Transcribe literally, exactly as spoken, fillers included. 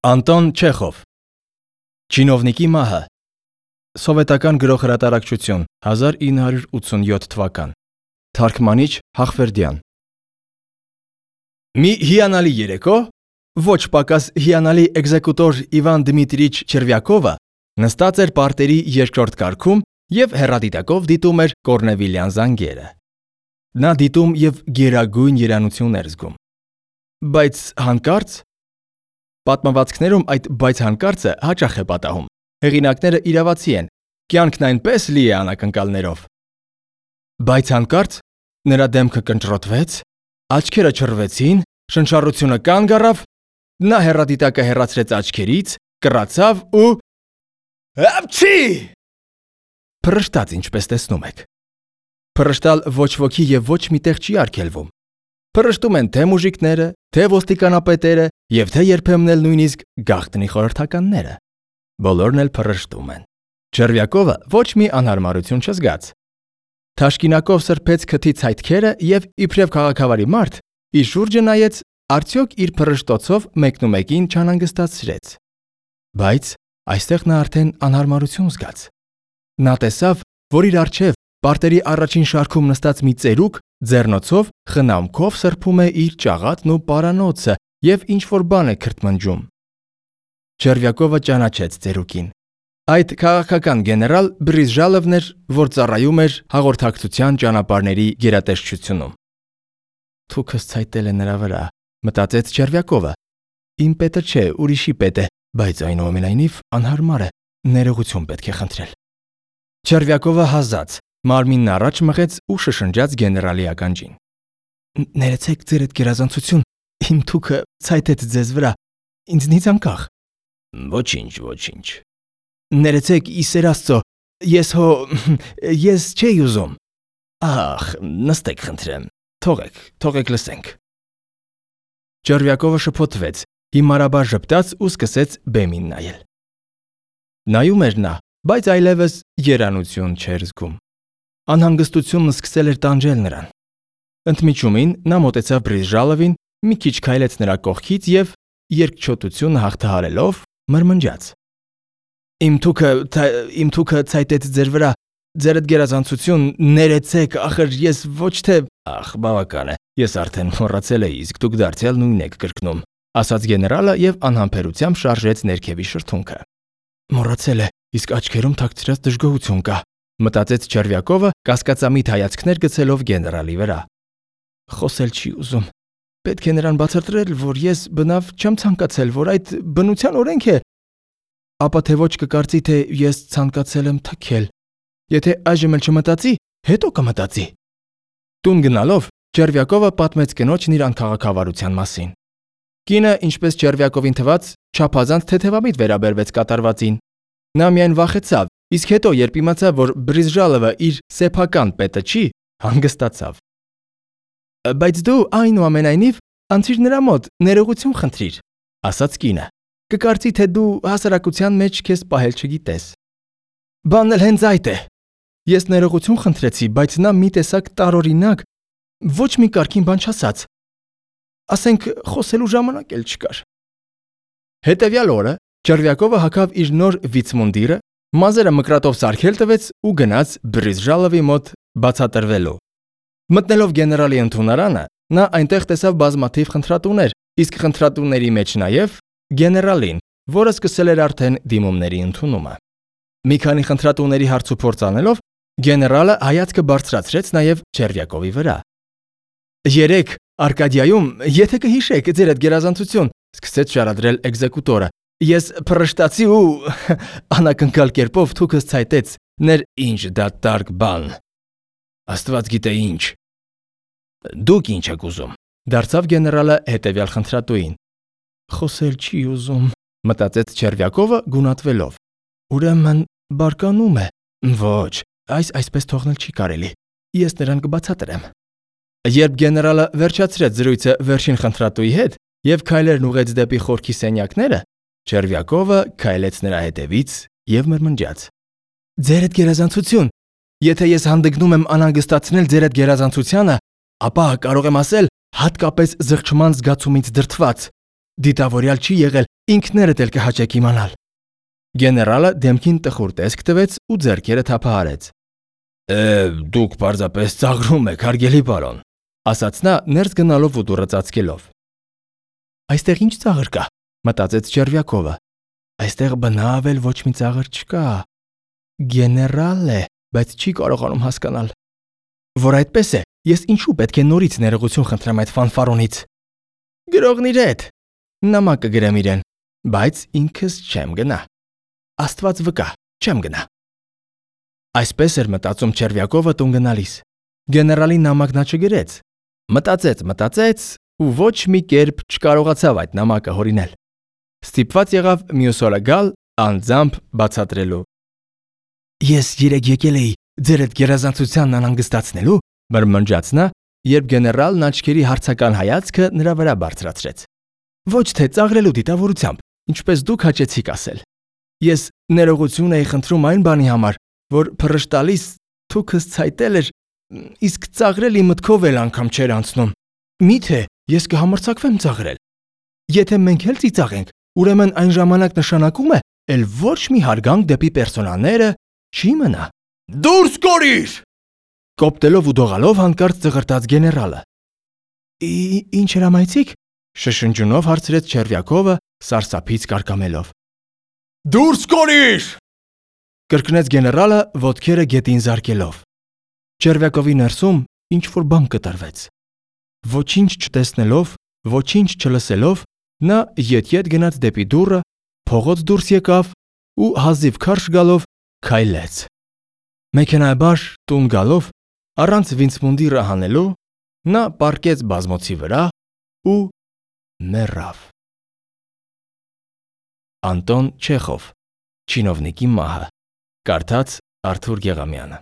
Անտոն Չեխով Չինովնիկի մահը Սովետական գրող-հրատարակչություն հազար ինը հարյուր ութսունյոթ թվական Թարգմանիչ Հախվերդյան Մի հիանալի երեկո ոչ պակաս հիանալի էկզեկուտոր Իվան Դմիտրիչ Չերվյակովը նստած էր պարտերի երկրորդ կարգում և հեռադիտակով դիտում էր Կորնևիլյան զանգերը։ Նա դիտում և գերագույն երանություն էր զգում։ Բայց հանկարծ Պատմվածքներում այդ բայց հանկարծը հաճախ է պատահում։ Հեղինակները իրավացի են, կյանքն այնպես լի է անակնկալներով։ Բայց հանկարծ նրա դեմքը կնճռոտվեց, աչքերը չռվեցին, շնչառությունը կանգ առավ, նա հեռադիտակը հեռացրեց աչքերից, կռացավ ու Հապչի! Փռշտաց, ինչպես տեսնում եք։ Փռշտալ ոչ ոքի և ոչ մի տեղ չի արգելվում։ Փռշտում են թե մուժիկները, թե ոստիկանապետերը և թե երբեմն էլ նույնիսկ գաղտնի խորհրդականները։ Բոլորն էլ փռշտում են։ Չերվյակովը ոչ մի անհարմարություն չզգաց։ Թաշկինակով սրբեց քթի ցայտքերը և իբրև քաղաքավարի մարդ իր շուրջը նայեց, արդյոք իր փռշտոցով մեկնումեկին չանհանգստացրեց։ Բայց այստեղ նա արդեն անհարմարություն զգաց։ Նա տեսավ, որ իր առջև պարտերի առաջին շարքում նստած մի ծերուկ ձեռնոցով խնամքով սրբում է իր ճաղատն ու պարանոցը և ինչ-որ բան է քրթմնջում։ Չերվյակովը ճանաչեց ծերուկին։ Այդ քաղաքական գեներալ Բրիզժալովն էր, որ ծառայում էր հաղորդակցության ճանապարհների գերատեսչությունում։ Թուքս ցայտել է նրա վրա, մտածեց Չերվյակովը։ Իմ պետը չէ, ուրիշի պետ է, բայց այնուամենայնիվ անհարմար է, ներողություն պետք է խնդրել։ Չերվյակովը հազաց, մարմինն առաջ մղեց ու շշնջաց գեներալի ականջին։ Ներեցեք ձեր այդ գերազանցություն, իմ թուքը ցայտեց ձեզ վրա, ինձնից անկախ։ Ոչինչ, ոչինչ։ Ներեցեք, ի սեր Աստծո, ես հո ես չէի ուզում։ Ախ, նստեք խնդրեմ, թողեք, թողեք լսենք։ Չերվյակովը շփոթվեց, հիմարաբար ժպտաց ու սկսեց բեմին նայել։ Նայում էր նա, բայց այլևս երանություն չէր զգում։ Անհանգստությունն սկսել էր տանջել նրան։ Ընդմիջումին նա մոտեցավ Բրիզժալովին, մի քիչ քայլեց նրա կողքից և, երկչոտությունը հաղթահարելով, մրմնջաց. Իմ թուքը, իմ թուքը ցայտեց ձեր վրա, ձեր այդ գերազանցություն, ներեցեք, ախր ես ոչ թե Ախ, բավական է, ես արդեն մոռացել էի, իսկ դուք դարձյալ նույնն եք կրկնում, ասաց գեներալը և անհամբերությամբ շարժեց ներքևի շրթունքը։ Մոռացել է, իսկ աչքերում թաքցրած դժգոհություն կա, մտածեց Չերվյակովը, կասկածամիտ հայացքներ գցելով գեներալի վրա։ Խոսել չի ուզում։ Պետք է նրան բացատրել, որ ես բնավ չեմ ցանկացել, որ այդ բնության օրենք է։ Ապա թե ոչ կկարծի, թե ես ցանկացել եմ թքել։ Եթե այժմ էլ չմտածի, հետո կմտածի։ Տուն գնալով Չերվյակովը պատմեց կնոջն իր անքաղաքավարության մասին։ Կինը, ինչպես Չերվյակովին թվաց, չափազանց թեթևամիտ վերաբերվեց կատարվածին։ Նա միայն վախեցավ, իսկ հետո, երբ իմացավ, որ Բրիզժալովը իր սեփական պետը չի, հանգստացավ։ Բայց դու այնուամենայնիվ անցիր նրա մոտ, ներողություն խնդրիր, ասաց կինը։ Կկարծի, թե դու հասարակության մեջ քեզ պահել չգիտես։ Բանն էլ հենց այդ է։ Ես ներողություն խնդրեցի, բայց նա մի տեսակ տարօրինակ, ոչ մի կարգին բան չասաց։ Ասենք, խոսելու ժամանակ էլ չկար։ Հետևյալ օրը Չերվյակովը հագավ իր նոր վիցմունդիրը, մազերը մկրատով սարքել տվեց ու գնաց Բրիզժալովի մոտ բացատրվելու։ Մտնելով գեներալի ընդունարանը, նա այնտեղ տեսավ բազմաթիվ խնդրատուներ, իսկ խնդրատուների մեջ նաև գեներալին, որը սկսել էր արդեն դիմումների ընդունումը։ Մի քանի խնդրատուների հարցուփորձ անելով, գեներալը հայացքը բարձրացրեց նաև Չերվյակովի վրա։ Երեկ Արկադիայում, եթե կհիշեք ձեր այդ գերազանցություն, սկսեց շարադրել էկզեկուտորը, ես փռշտացի ու անակնկալ կերպով թուքս ցայտեց, ներ ինչ դատարկ բան։ Աստված գիտե ինչ։ Դուք ինչ եք ուզում, դարձավ գեներալը հետևյալ խնդրատուին։ Խոսել չի ուզում, մտածեց Չերվյակովը գունատվելով։ Ուրեմն բարկանում է։ Ոչ, այս այսպես թողնել չի կարելի։ Ես նրան կբացատրեմ։ Երբ գեներալը վերջացրեց զրույցը վերջին խնդրատուի հետ և քայլերն ուղղեց դեպի խորքի սենյակները, Չերվյակովը քայլեց նրա հետևից և մրմնջաց. Ձեր այդ գերազանցություն, եթե ես հանդգնում եմ անհանգստացնել ձեր այդ գերազանցությանը, ապա կարող եմ ասել հատկապես զղջման զգացումից դրդված։ Դիտավորյալ չի եղել ինքներդ էլ կհաճեք իմանալ։ Գեներալը դեմքին տխուր տեսք տվեց ու ձեռքերը թափահարեց։ Է, դուք պարզապես ծաղրում եք, հարգելի պարոն, ասաց նա ներս գնալով ու դուռը ծածկելով։ Այստեղ ինչ ծաղր կա, մտածեց Չերվյակովը։ Այստեղ բնավ էլ ոչ մի ծաղր չկա։ Գեներալ է, բայց չի կարողանում հասկանալ։ Որ այդպես է, ես ինչու պետք է նորից ներողություն խնդրեմ այդ ֆանֆարոնից։ Գրողն իր հետ։ Նամակ կգրեմ իրեն, բայց ինքս չեմ գնա։ Աստված վկա, չեմ գնա։ Այսպես էր մտածում Չերվյակովը տուն գնալիս։ Գեներալի նամակ նա չգրեց։ Մտածեց, մտածեց ու ոչ մի կերպ չկարողացավ այդ նամակը հորինել։ Ստիպված եղավ մյուս օրը գալ անձամբ բացատրելու։ Ես երեք եկել էի ձեր այդ գերազանցությանն անհանգստացնելու, մրմնջաց նա, երբ գեներալն աչքերի հարցական հայացքը նրա վրա բարձրացրեց։ Ոչ թե ծաղրելու դիտավորությամբ, ինչպես դուք հաճեցիք ասել։ Ես ներողություն էի խնդրում այն բանի համար, որ փռշտալիս թուքս ցայտել էր, իսկ ծաղրել իմ մտքով էլ անգամ չէր անցնում։ Միթե ես կհամարձակվեմ ծաղրել։ Եթե մենք էլ ծիծաղենք, ուրեմն այն ժամանակ նշանակում է, էլ ոչ մի հարգանք դեպի պերսոնաները չի մնա։ Դուրս կորիր! Կոպտելով ու դողալով հանկարծ ծղրտաց գեներալը։ Ինչ հրամայեցիք, շշնջունով հարցրեց Չերվյակովը, սարսափից կարկամելով։ Դուրս կորիր! Կրկնեց գեներալը, ոտքերը գետին զարկելով։ Չերվյակովի ներսում ինչ-որ բան կտրվեց։ Ոչինչ չտեսնելով, ոչինչ չլսելով, նա ետ-ետ գնաց դեպի դուռը, փողոց դուրս եկավ ու հազիվ քարշ գալով քայլեց։ Մեքենայաբար տուն գալով, առանց վինցմունդիրը հանելու, նա պառկեց բազմոցի վրա ու մեռավ։ Անտոն Չեխով, Չինովնիկի մահը, կարդաց Արթուր Գեղամյանը։